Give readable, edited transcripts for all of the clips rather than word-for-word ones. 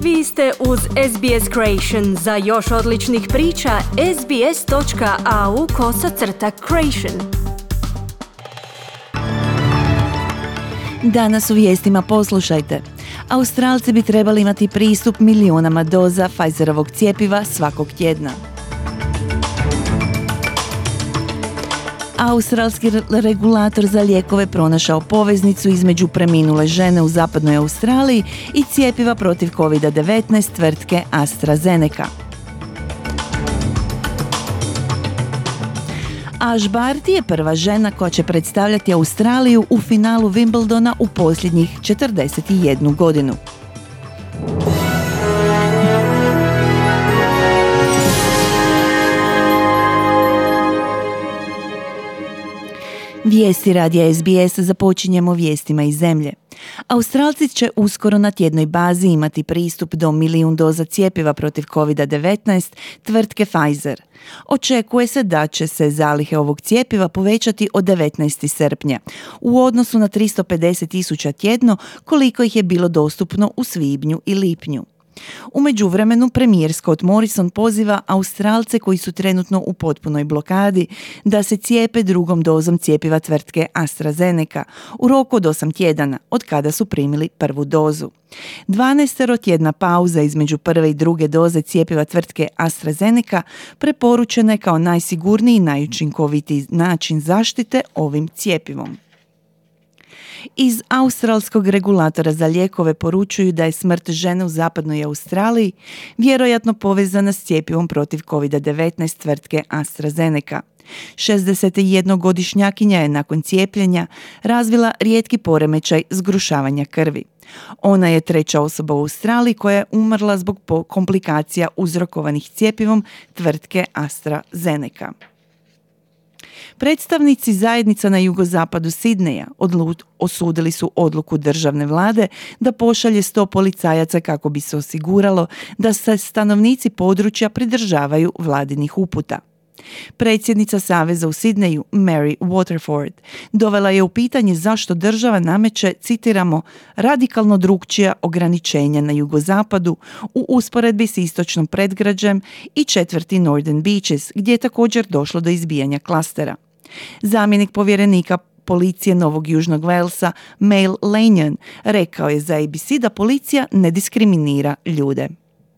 Vi ste uz SBS Creation. Za još odličnih priča, sbs.au/creation. Danas u vijestima poslušajte. Australci bi trebali imati pristup milionama doza Pfizerovog cjepiva svakog tjedna. Australski regulator za lijekove pronašao poveznicu između preminule žene u zapadnoj Australiji i cjepiva protiv COVID-19 tvrtke AstraZeneca. Ash Barty je prva žena koja će predstavljati Australiju u finalu Wimbledona u posljednjih 41 godinu. Vijesti radija SBS započinjemo vijestima iz zemlje. Australci će uskoro na tjednoj bazi imati pristup do 1 milijun doza cjepiva protiv COVID-19 tvrtke Pfizer. Očekuje se da će se zalihe ovog cjepiva povećati od 19. srpnja u odnosu na 350.000 tjedno koliko ih je bilo dostupno u svibnju i lipnju. U međuvremenu premijer Scott Morrison poziva Australce koji su trenutno u potpunoj blokadi da se cijepe drugom dozom cjepiva tvrtke AstraZeneca u roku od 8 tjedana od kada su primili prvu dozu. 12-tjedna pauza između prve i druge doze cjepiva tvrtke AstraZeneca preporučena je kao najsigurniji i najučinkovitiji način zaštite ovim cjepivom. Iz australskog regulatora za lijekove poručuju da je smrt žene u zapadnoj Australiji vjerojatno povezana s cjepivom protiv COVID-19 tvrtke AstraZeneca. 61-godišnjakinja je nakon cijepljenja razvila rijetki poremećaj zgrušavanja krvi. Ona je treća osoba u Australiji koja je umrla zbog komplikacija uzrokovanih cjepivom tvrtke AstraZeneca. Predstavnici zajednica na jugozapadu Sidneja osudili su odluku državne vlade da pošalje 100 policajaca kako bi se osiguralo da se stanovnici područja pridržavaju vladinih uputa. Predsjednica Saveza u Sidneju, Mary Waterford, dovela je u pitanje zašto država nameće, citiramo, radikalno drukčija ograničenja na jugozapadu u usporedbi s istočnom predgrađem i četvrti Northern Beaches, gdje je također došlo do izbijanja klastera. Zamjenik povjerenika policije Novog Južnog Walesa, Mail Lanyon, rekao je za ABC da policija ne diskriminira ljude.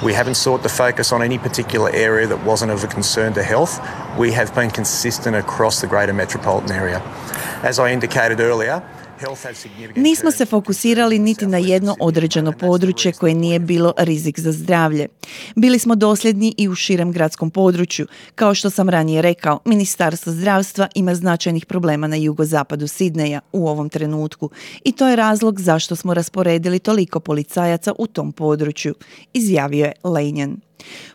We haven't sought to focus on any particular area that wasn't of a concern to health. We have been consistent across the greater metropolitan area. As I indicated earlier, nismo se fokusirali niti na jedno određeno područje koje nije bilo rizik za zdravlje. Bili smo dosljedni i u širem gradskom području. Kao što sam ranije rekao, Ministarstvo zdravstva ima značajnih problema na jugozapadu Sidneja u ovom trenutku i to je razlog zašto smo rasporedili toliko policajaca u tom području, izjavio je Lanyon.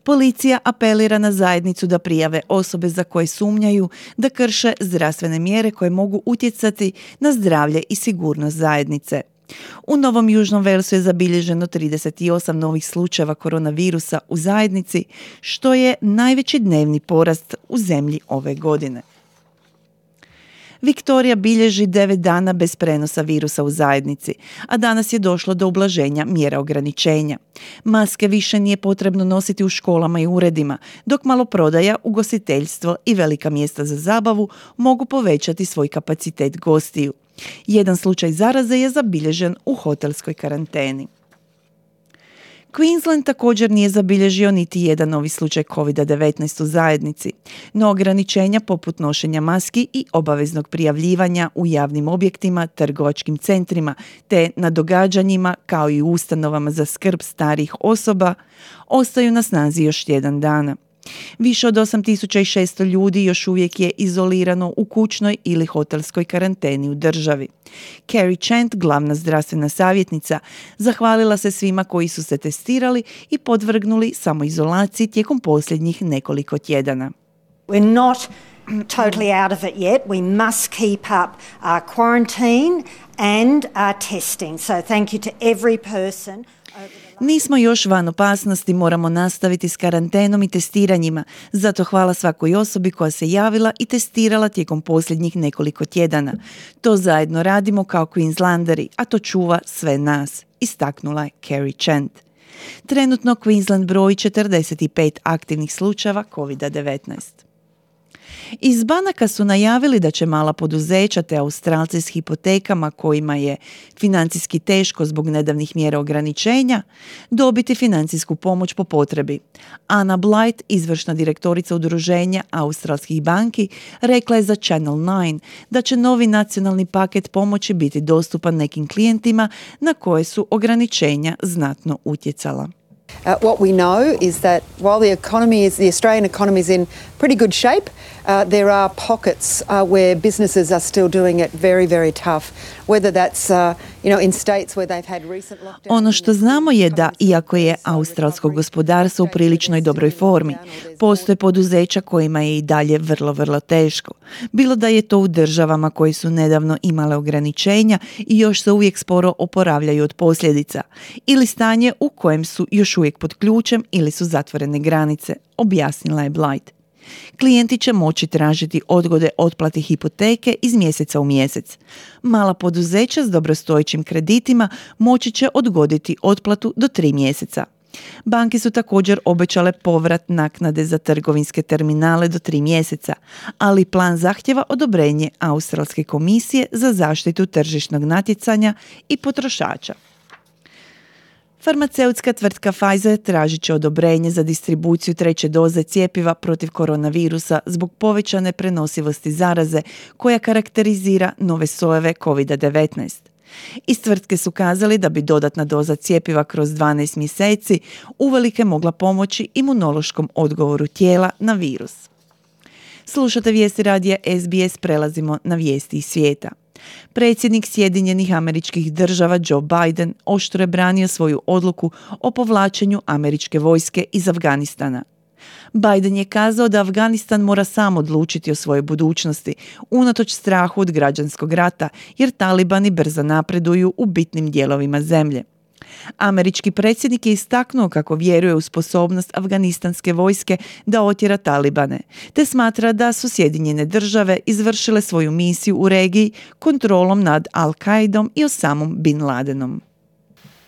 Policija apelira na zajednicu da prijave osobe za koje sumnjaju da krše zdravstvene mjere koje mogu utjecati na zdravlje i sigurnost zajednice. U Novom Južnom Walesu je zabilježeno 38 novih slučajeva koronavirusa u zajednici, što je najveći dnevni porast u zemlji ove godine. Viktorija bilježi 9 dana bez prenosa virusa u zajednici, a danas je došlo do ublaženja mjera ograničenja. Maske više nije potrebno nositi u školama i uredima, dok maloprodaja, ugostiteljstvo i velika mjesta za zabavu mogu povećati svoj kapacitet gostiju. Jedan slučaj zaraze je zabilježen u hotelskoj karanteni. Queensland također nije zabilježio niti jedan novi slučaj COVID-19 u zajednici, no ograničenja poput nošenja maski i obaveznog prijavljivanja u javnim objektima, trgovačkim centrima te na događanjima kao i u ustanovama za skrb starijih osoba ostaju na snazi još tjedan dana. Više od 8.600 ljudi još uvijek je izolirano u kućnoj ili hotelskoj karanteni u državi. Carrie Chant, glavna zdravstvena savjetnica, zahvalila se svima koji su se testirali i podvrgnuli samoizolaciji tijekom posljednjih nekoliko tjedana. We're not totally out of it yet. We must keep up our quarantine and our testing. So thank you to every person. Nismo još van opasnosti, moramo nastaviti s karantenom i testiranjima. Zato hvala svakoj osobi koja se javila i testirala tijekom posljednjih nekoliko tjedana. To zajedno radimo kao Queenslanderi, a to čuva sve nas, istaknula je Carrie Chant. Trenutno Queensland broji 45 aktivnih slučajeva COVID-19. Iz banaka su najavili da će mala poduzeća te Australci s hipotekama kojima je financijski teško zbog nedavnih mjera ograničenja dobiti financijsku pomoć po potrebi. Anna Blight, izvršna direktorica udruženja australskih banki, rekla je za Channel 9 da će novi nacionalni paket pomoći biti dostupan nekim klijentima na koje su ograničenja znatno utjecala. What we know is that while the Australian economy is in pretty good shape, there are pockets where businesses are still doing it very, very tough. Whether that's in states where they've had recent lockdowns. Ono što znamo je da, iako je australsko gospodarstvo u priličnoj dobroj formi, postoje poduzeća kojima je i dalje vrlo, vrlo teško. Bilo da je to u državama koje su nedavno imale ograničenja i još se uvijek sporo oporavljaju od posljedica, ili stanje u kojem su još uvijek pod ključem ili su zatvorene granice, objasnila je Blight. Klijenti će moći tražiti odgode otplate hipoteke iz mjeseca u mjesec. Mala poduzeća s dobrostojećim kreditima moći će odgoditi otplatu do 3 mjeseca. Banke su također obećale povrat naknade za trgovinske terminale do 3 mjeseca, ali plan zahtjeva odobrenje Australske komisije za zaštitu tržišnog natjecanja i potrošača. Farmaceutska tvrtka Pfizer tražit će odobrenje za distribuciju 3. doze cjepiva protiv koronavirusa zbog povećane prenosivosti zaraze koja karakterizira nove sojeve COVID-19. Iz tvrtke su kazali da bi dodatna doza cjepiva kroz 12 mjeseci uvelike mogla pomoći imunološkom odgovoru tijela na virus. Slušate vijesti radija SBS, prelazimo na vijesti iz svijeta. Predsjednik Sjedinjenih Američkih Država Joe Biden oštro je branio svoju odluku o povlačenju američke vojske iz Afganistana. Biden je kazao da Afganistan mora sam odlučiti o svojoj budućnosti, unatoč strahu od građanskog rata, jer talibani brzo napreduju u bitnim dijelovima zemlje. Američki predsjednik je istaknuo kako vjeruje u sposobnost afganistanske vojske da otjera talibane, te smatra da su Sjedinjene Države izvršile svoju misiju u regiji kontrolom nad Al-Qaidom i Osamom Bin Ladenom.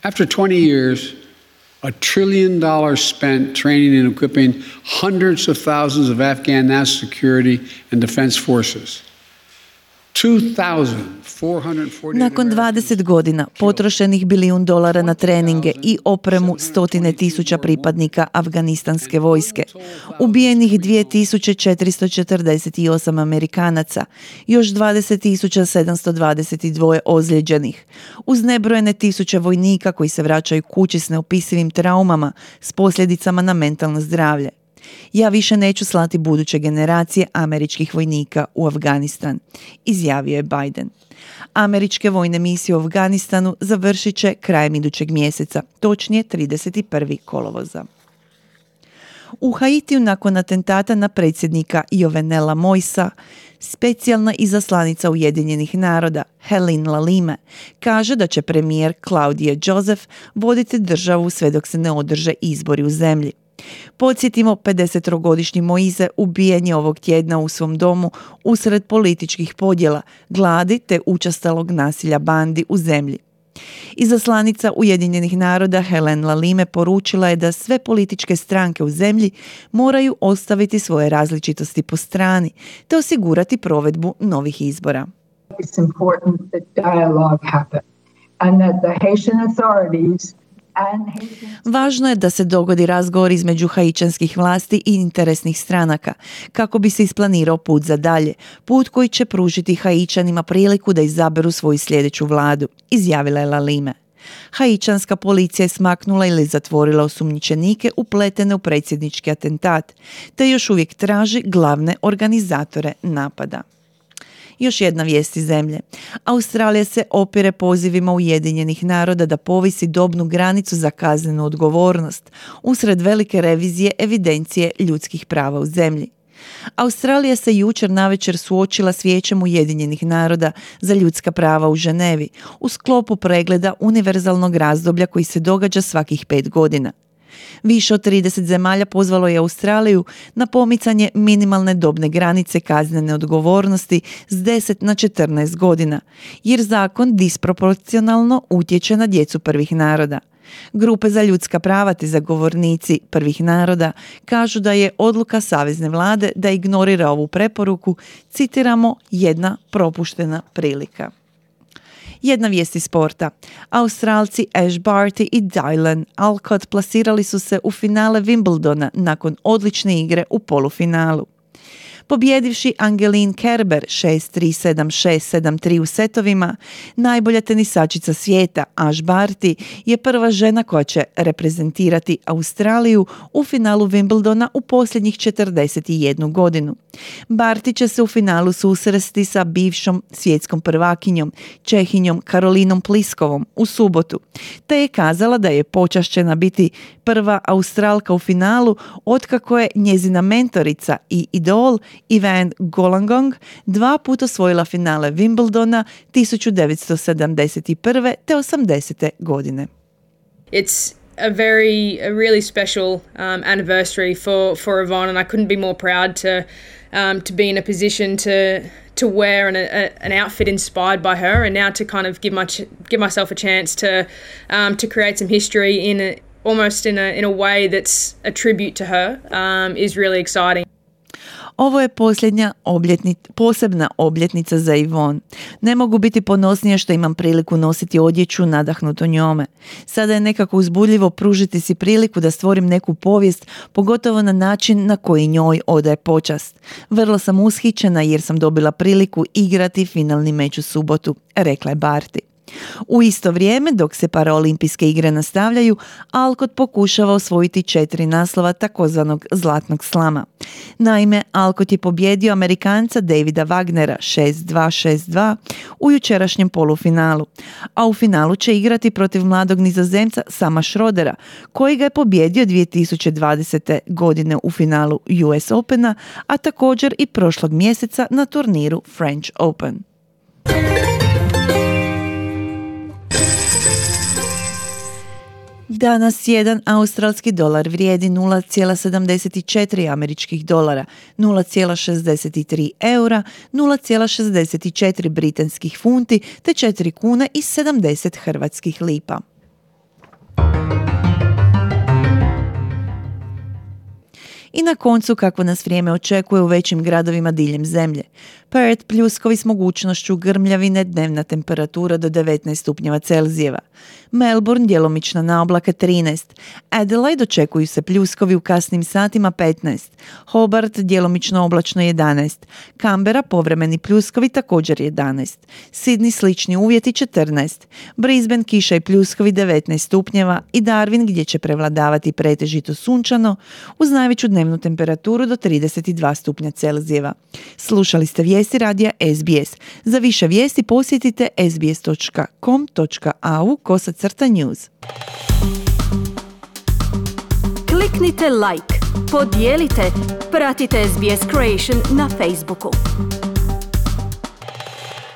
After 20 years, $1 trillion spent training and equipping hundreds of thousands of Afghan national security and defense forces. Nakon 20 godina potrošenih $1 bilijun na treninge i opremu 100.000 pripadnika afganistanske vojske, ubijenih 2.448 Amerikanaca, još 20.722 ozlijeđenih, uz nebrojene tisuće vojnika koji se vraćaju kući s neopisivim traumama s posljedicama na mentalno zdravlje. Ja više neću slati buduće generacije američkih vojnika u Afganistan, izjavio je Biden. Američke vojne misije u Afganistanu završit će krajem idućeg mjeseca, točnije 31. kolovoza. U Haitiju nakon atentata na predsjednika Jovenela Moisa, specijalna izaslanica Ujedinjenih naroda Helen Lalime kaže da će premijer Claudie Joseph voditi državu sve dok se ne održe izbori u zemlji. Podsjetimo, 53-godišnji Moise ubijen je ovog tjedna u svom domu usred političkih podjela, gladi te učestalog nasilja bandi u zemlji. Izaslanica Ujedinjenih naroda Helen Lalime poručila je da sve političke stranke u zemlji moraju ostaviti svoje različitosti po strani te osigurati provedbu novih izbora. It's important that dialogue happen and that the Haitian authorities. Važno je da se dogodi razgovor između haičanskih vlasti i interesnih stranaka, kako bi se isplanirao put za dalje, put koji će pružiti Haičanima priliku da izaberu svoju sljedeću vladu, izjavila je Lalime. Haičanska policija je smaknula ili zatvorila osumnjičenike upletene u predsjednički atentat, te još uvijek traži glavne organizatore napada. Još jedna vijest iz zemlje. Australija se opire pozivima Ujedinjenih naroda da povisi dobnu granicu za kaznenu odgovornost usred velike revizije evidencije ljudskih prava u zemlji. Australija se jučer navečer suočila s Vijećem Ujedinjenih naroda za ljudska prava u Ženevi u sklopu pregleda univerzalnog razdoblja koji se događa svakih 5 godina. Više od 30 zemalja pozvalo je Australiju na pomicanje minimalne dobne granice kaznene odgovornosti s 10 na 14 godina, jer zakon disproporcionalno utječe na djecu prvih naroda. Grupe za ljudska prava te zagovornici prvih naroda kažu da je odluka savezne vlade da ignorira ovu preporuku, citiramo, jedna propuštena prilika. Jedna vijest iz sporta. Australci Ash Barty i Dylan Alcott plasirali su se u finale Wimbledona nakon odlične igre u polufinalu. Pobjedivši Angeline Kerber 6-3, 7-6, 7-3 u setovima, najbolja tenisačica svijeta Ash Barty je prva žena koja će reprezentirati Australiju u finalu Wimbledona u posljednjih 41 godinu. Barty će se u finalu susresti sa bivšom svjetskom prvakinjom, Čehinjom Karolinom Pliskovom u subotu, te je kazala da je počašćena biti prva Australka u finalu otkako je njezina mentorica i idol Evan Goolagong 2 puta osvojila finale Wimbledona 1971. te 80. godine. It's a really special anniversary for Yvonne, and I couldn't be more proud to be in a position to wear an outfit inspired by her, and now to kind of give myself a chance to create some history almost in a way that's a tribute to her is really exciting. Ovo je posebna obljetnica za Yvonne. Ne mogu biti ponosnija što imam priliku nositi odjeću nadahnuto njome. Sada je nekako uzbudljivo pružiti si priliku da stvorim neku povijest, pogotovo na način na koji njoj odaje počast. Vrlo sam ushićena jer sam dobila priliku igrati finalni meč u subotu, rekla je Barty. U isto vrijeme, dok se paraolimpijske igre nastavljaju, Alcott pokušava osvojiti 4 naslova takozvanog zlatnog slama. Naime, Alcott je pobjedio Amerikanca Davida Wagnera 6-2, 6-2 u jučerašnjem polufinalu, a u finalu će igrati protiv mladog Nizozemca Sama Schrodera, koji ga je pobjedio 2020. godine u finalu US Opena, a također i prošlog mjeseca na turniru French Open. Danas jedan australski dolar vrijedi 0,74 američkih dolara, 0,63 eura, 0,64 britanskih funti te 4 kune i 70 hrvatskih lipa. I na koncu kako nas vrijeme očekuje u većim gradovima diljem zemlje. Perth pljuskovi s mogućnošću grmljavine, dnevna temperatura do 19 stupnjeva Celzijeva. Melbourne djelomična naoblaka 13. Adelaide očekuju se pljuskovi u kasnim satima 15. Hobart djelomično oblačno 11. Canberra povremeni pljuskovi također 11. Sydney slični uvjeti 14. Brisbane kiša i pljuskovi 19 stupnjeva i Darwin gdje će prevladavati pretežito sunčano uz najveću dnevnu temperaturu do 32 stupnja Celzijeva. Slušali ste vijesti radija SBS. Za više vijesti posjetite sbs.com.au/news. Kliknite like, podijelite, pratite SBS Creation na Facebooku.